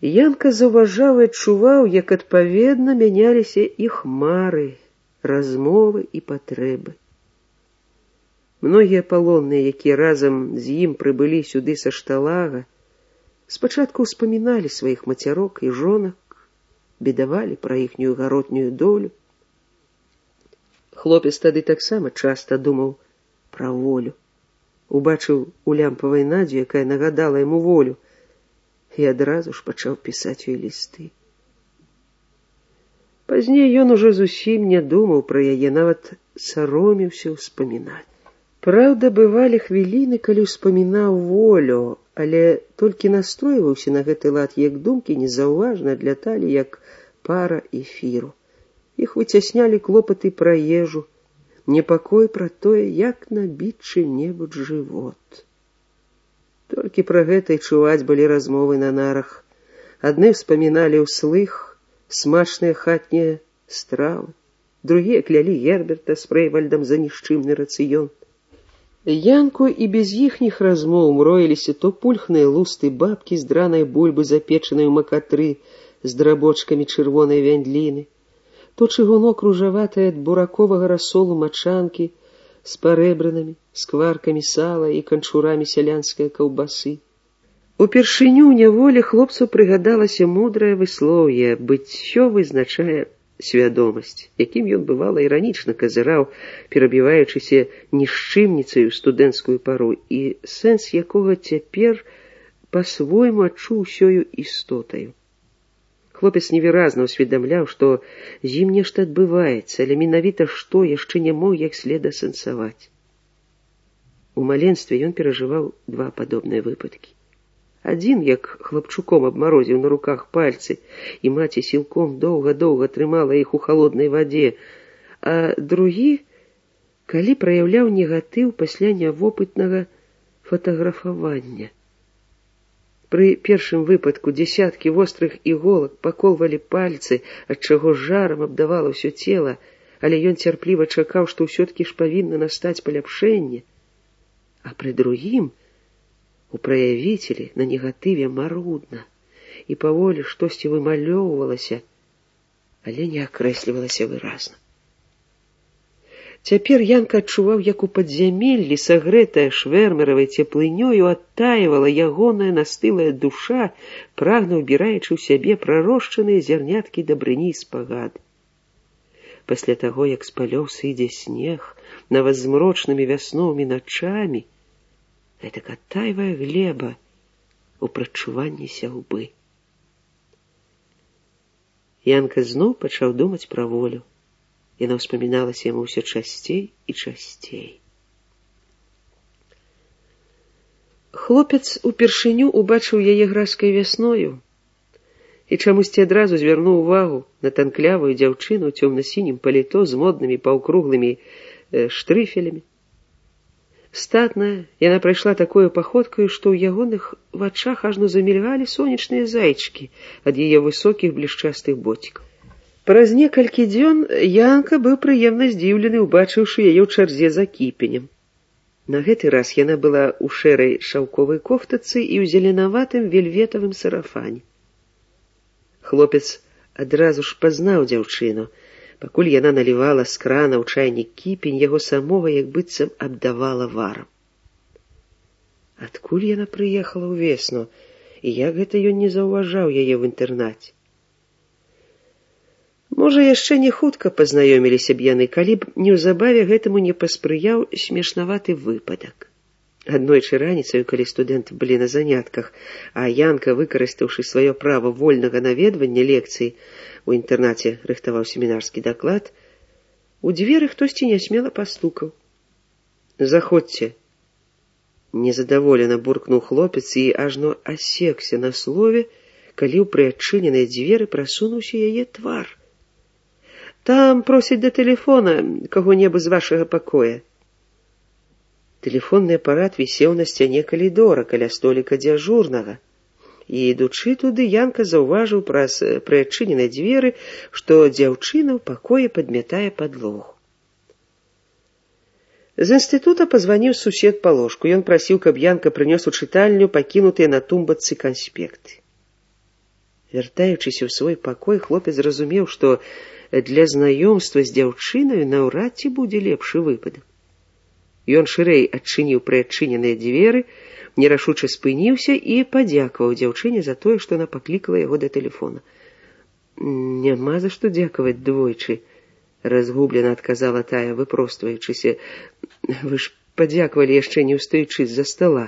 Янка заўважаў і адчуваў, як адпаведна мяняліся іх мары, размовы і патрэбы. Многія палонныя, якія разам з ім прыбылі сюды са Шталага, спачатку ўспаміналі сваіх мацярок і жонак, бедавалі пра іхнюю гаротнюю долю. Хлопец тады таксама часта думаў пра волю. Убачыў у лямпавай Надзю, якая нагадала яму волю, і адразу ж пачаў пісаць ёй лісты. Пазней ён ужо зусім не думаў пра яе, нават саромеўся ўспамінаць. Праўда, бывалі хвіліны, калі ўспамінаў волю, але толькі настройваўся на гэты лад, як думкі незаўважна адляталі, як пара эфіру. Іх выцяснялі клопаты пра ежу, непакой пра тое, як набіць чым-небудзь жывот. Толькі пра гэта і чуваць былі размовы на нарах. Адны ўспаміналі ўслых смачныя хатнія стравы, другія клялі Герберта з Фрэйвальдам за нішчымны рацыён. Янку і без іхніх размоў мроіліся то пульхныя лусты бабкі з дранай бульбы, запечанай у макатры з драбочкамі чырвонай вяндліны, то чыгунок ружаватай ад бураковага расолу мачанкі з парэбранамі, скваркамі сала і канчурамі сялянскай каўбасы. Упершыню ў няволі хлопцу прыгадалася мудрае выслоўе «быццё вызначае свядомасць», якім ён бывала іранічна казыраў, перабіваючыся нішчымніцаю студэнцкую пару, і сэнс якога цяпер па-свойму адчуў усёю істотаю. Хлопец невыразна ўсведамляў, што з ім нешта адбываецца, але менавіта што яшчэ не мог як след асэнсаваць. У маленстве ён перажываў два падобныя выпадкі. Адзін, як хлапчуком абмарозіў на руках пальцы, і маці сілком доўга-доўга трымала іх у халоднай вадзе, а другі, калі праяўляў негатыў пасля нявопытнага фатаграфавання. Пры першым выпадку дзесяткі вострых іголак паколвалі пальцы, ад чаго жарам абдавала ўсё цела, але ён цярпліва чакаў, што ўсё-ткі ж павінна настаць паляпшэнне. А пры другім у праявіцелі на негатыве марудна, і паволі штосьці вымалёўвалася, але не акрэслівалася выразна. Цяпер Янка адчуваў, як у падзямеллі, сагрэтая швэрмеравай цеплынёю, адтаивала ягоная настылая душа, прагна ўбіраючы ў сябе прарошчаныя зярняткі дабрыні і спагады. Пасля таго, як з палёў сыдзе снег, нават з змрочнымі вясновымі начамі, гэтак адтайвае глеба у прадчуванні сяўбы. Янка зноў пачаў думаць пра волю. Яна ўспаміналася яму ўсё часцей і часцей. Хлопец упершыню убачыў яе гразкай вясною і чамусьці адразу звярнуў увагу на танклявую дзяўчыну ў цёмна-сінім паліто з моднымі паўкруглымі штрыфелямі. Статная, яна прайшла такою паходкаю, што ў ягоных вачах ажно замільгалі сонечныя зайчыкі ад яе высокіх блішчастых боцікаў. Праз некалькі дзён Янка быў прыемна здзіўлены, убачыўшы яе ў чарзе за кіпенем. На гэты раз яна была ў шэрай шаўковай кофтацы і ў зеленаватым вельветавым сарафане. Хлопец адразу ж пазнаў дзяўчыну. Пакуль яна налівала з крана ў чайнік кіпень, яго самога як быццам абдавала варам. Адкуль яна прыехала ўвесну, і як гэта ён не заўважаў яе ў інтэрнаце? Можа, яшчэ не хутка пазнаёміліся б яны, калі б неўзабаве гэтаму не паспрыяў смешнаваты выпадак. Аднойчы раніцаю, калі студэнты былі на занятках, а Янка, выкарыстаўшы сваё права вольнага наведвання лекцыі, у інтэрнаце рыхтаваў семінарскі даклад, у дзверы хтосьці нясмела пастукаў. «Заходзьце!» Незадаволена буркнуў хлопец і ажно асекся на слове, калі ў прыадчыненыя дзверы прасунуўся яе твар. «Там просяць да тэлефона каго-небудзь з вашага пакоя». Тэлефонны апарат вісеў на сцяне калідора каля століка дзяжурнага, і, ідучы туды, Янка заўважыў праз прыадчыненыя дзверы, што дзяўчына ў пакоі падмятае падлогу. З інстытута пазваніў сусед па ложку. Ён прасіў, каб Янка прынёс у чытальню пакінутыя на тумбачцы канспекты. Вяртаючыся ў свой пакой, хлопец зразумеў, што для знаёмства з дзяўчынаю наўрад ці будзе лепшы выпадак. Ён шырэй адчыніў прыадчыненыя дзверы, нерашуча спыніўся і падзякаваў дзяўчыне за тое, што яна паклікала яго да тэлефона. «Няма за што дзякаваць двойчы», — разгублена адказала тая, выпростваючыся. «Вы ж падзякавалі яшчэ не ўстаючы з-за стала».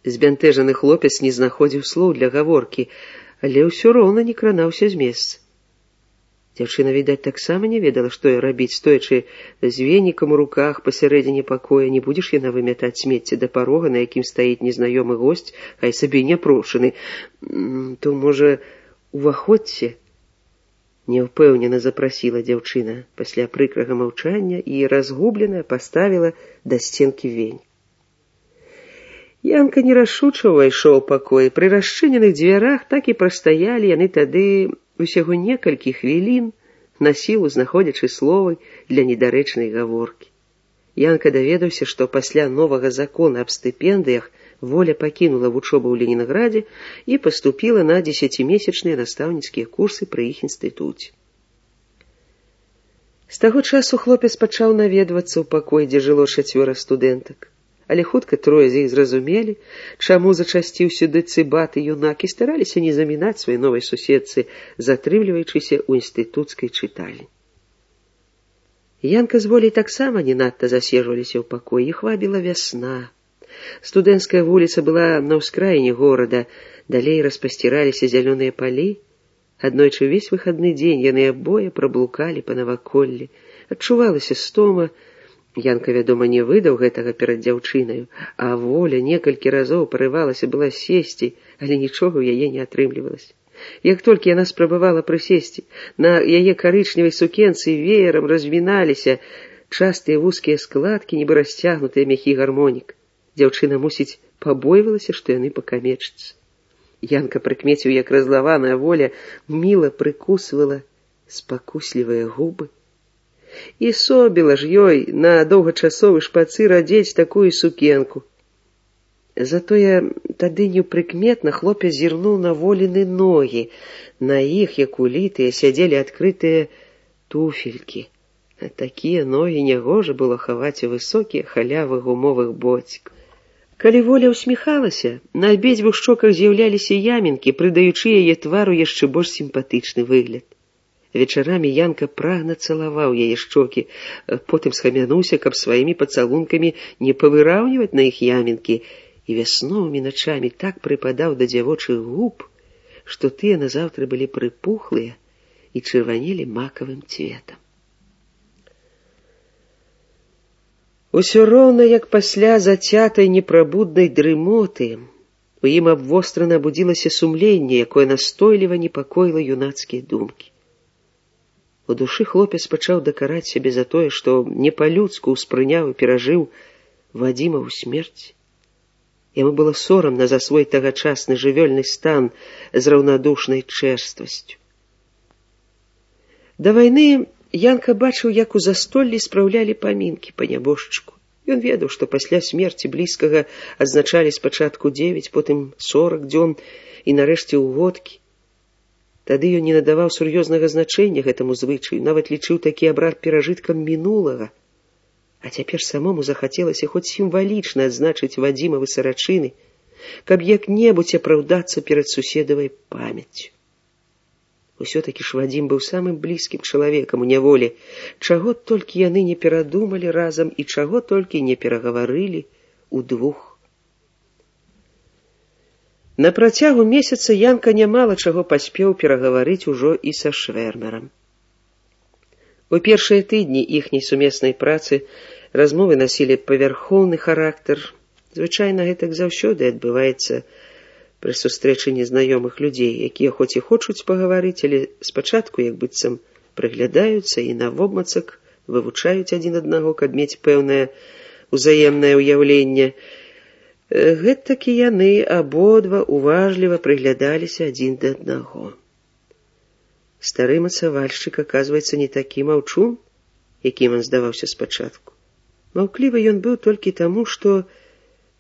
Збянтэжаны хлопец не знаходзіў слоў для гаворкі, але ўсё роўна не кранаўся з месца. Дзяўчына, відаць, таксама не ведала, што рабіць, стоячы з венікам у руках пасярэдзіне пакоя. Не будзеш яна вымятаць смецце да парога, на якім стаіць незнаёмы госць, хай сабе няпрошаны. То, можа, уваходзьце? Няўпэўнена запрасіла дзяўчына пасля прыкрага маўчання і разгублена паставіла да сценкі вень. Янка нерашуча ўвайшоў у пакой. Пры расчыненых дзвярах так і прастаялі яны тады усяго некалькі хвілін, на сілу знаходзячы словы для недарэчнай гаворкі. Янка даведаўся, што пасля новага закона аб стыпендыях Воля пакінула вучобу ў Ленінградзе і паступіла на 10-месячныя настаўніцкія курсы пры іх інстытуце. З таго часу хлопец пачаў наведвацца ў пакой, дзе жыло 4 студэнтак. Але хутка трое з іх зразумелі, чаму зачасціў сюды цыбаты юнак, і стараліся не замінаць сваёй новай суседцы, затрымліваючыся ў інстытуцкай чытальні. Янка з Волей таксама не надта засежваліся ў пакоі, іх вабіла вясна. Студэнцкая вуліца была на ўскраіне горада, далей распасціраліся зялёныя палі. Аднойчы ўвесь выхадны дзень яны абое праблукалі па наваколлі. Адчувалася стома. Янка, вядома, не выдаў гэтага перад дзяўчынаю, а Воля некалькі разоў парывалася была сесці, але нічога ў яе не атрымлівалася. Як толькі яна спрабавала прысесці, на яе карычневай сукенцы веерам развіналіся частыя вузкія складкі, нібы расцягнутыя мяхі гармонік. Дзяўчына, мусіць, пабойвалася, што яны пакамечацца. Янка прыкмеціў, як разлаваная Воля міла прыкусвала спакуслівыя губы. І собіла ж ёй на доўгачасовы шпацыр адзець такую сукенку. Затое тады непрыкметна хлопец зірнуў на Воліны ногі. На іх, як улітыя, сядзелі адкрытыя туфелькі. Такія ногі нягожа было хаваць у высокія халявы гумовых боцікаў. Калі Воля ўсміхалася, на абедзвюх шчоках з'яўляліся ямінкі, прыдаючы яе твару яшчэ больш сімпатычны выгляд. Вечарамі Янка прагна цалаваў яе шчокі, потым схамянуўся, каб сваімі пацалункамі не павыраўніваць на іх ямінкі, і вясновымі начамі так прыпадаў да дзявочых губ, што тыя назаўтра былі прыпухлыя і чырванелі макавым цветам. Усё роўна, як пасля зацятай непрабуднай дрымоты, у ім абвострана будзілася сумленне, якое настойліва непакоіла юнацкія думкі. У душы хлопец пачаў дакараць сябе за тое, што не па-людску ўспрыняў і перажыў Вадзімаву смерць. Яму было сорамна за свой тагачасны жывёльны стан з раўнадушнай чэрствасцю. Да вайны Янка бачыў, як у застоллі спраўлялі памінкі па нябожчыку. Ён ведаў, што пасля смерці блізкага адзначалі спачатку 9, потым 40 дзён і нарэшце ўгодкі. Тады ён не надаваў сур'ёзнага значэння гэтаму звычаю, нават лічыў такі абрад перажыткам мінулага. А цяпер самому захацелася хоць сімвалічна адзначыць Вадзімавы сарачыны, каб як-небудзь апраўдацца перад суседавай памяццю. Усё-такі ж Вадзім быў самым блізкім чалавекам у няволі, чаго толькі яны не перадумалі разам і чаго толькі не перагаварылі удвух. На працягу месяца Янка нямала чаго паспеў перагаварыць ужо і са Швэрмерам. У першыя тыдні іхняй сумеснай працы размовы насілі павярхоўны характар. Звычайна гэтак заўсёды адбываецца пры сустрэчы незнаёмых людзей, якія хоць і хочуць пагаварыць, але спачатку як быццам прыглядаюцца і навобмацак вывучаюць адзін аднаго, каб мець пэўнае ўзаемнае ўяўленне. Гэтакі яны абодва уважліва прыглядаліся адзін да аднаго. Стары мацавальшчык, аказваецца, не такі маўчун, якім ён здаваўся спачатку. Маўклівы ён быў толькі таму, што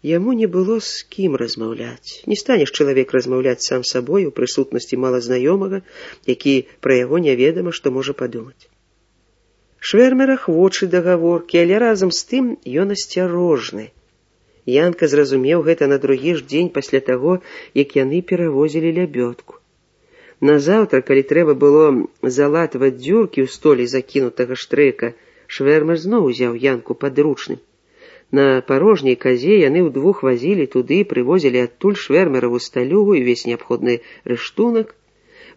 Яму не было з кім размаўляць. Не станеш чалавек размаўляць сам сабой у прысутнасці малазнаёмага, які пра яго няведама, што можа падумаць. Швэрмер ахвочы да гаворкі, але разам з тым ён асцярожны. Янка зразумеў гэта на другі ж дзень пасля таго, як яны перавозілі лябёдку. Назаўтра, калі трэба было залатваць дзюркі ў столі закінутага штрэка, Швэрмер зноў узяў Янку падручным. На парожняй казе яны ўдвух вазілі туды, прывозілі адтуль швэрмераву сталюгу і ўвесь неабходны рыштунак.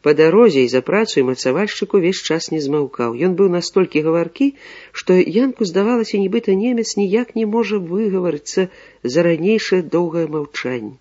Па дарозе і за працу і мацавальшчык увесь час не змаўкаў. Ён быў настолькі гаваркі, што Янку здавалася, нібыта немец ніяк не можа выгаварыцца за ранейшае доўгае маўчанне.